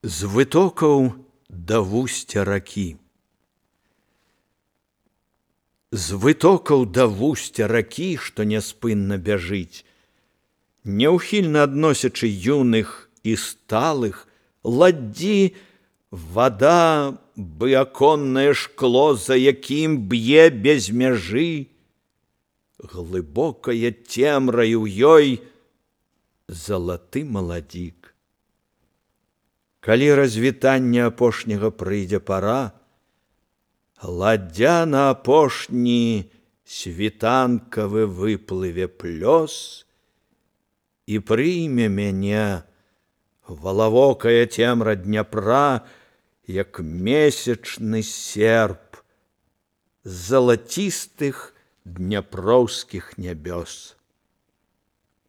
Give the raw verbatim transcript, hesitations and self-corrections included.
З вытокаў да вусця ракі. З вытокаў да вусця ракі, што няспынна бяжыць, няўхільна адносячы юных і сталых, ладдзі вада, бы аконнае шкло, за якім б'е без мяжы, глыбокая цемра і ў ёй залаты маладзік. Калі развітання апошняга прыйдзе пара, ладдзя на апошні світанкавы выплыве плёс і прыйме мяне валавокая цемра Дняпра, як месячны серп залацістых дняпроўскіх нябёс.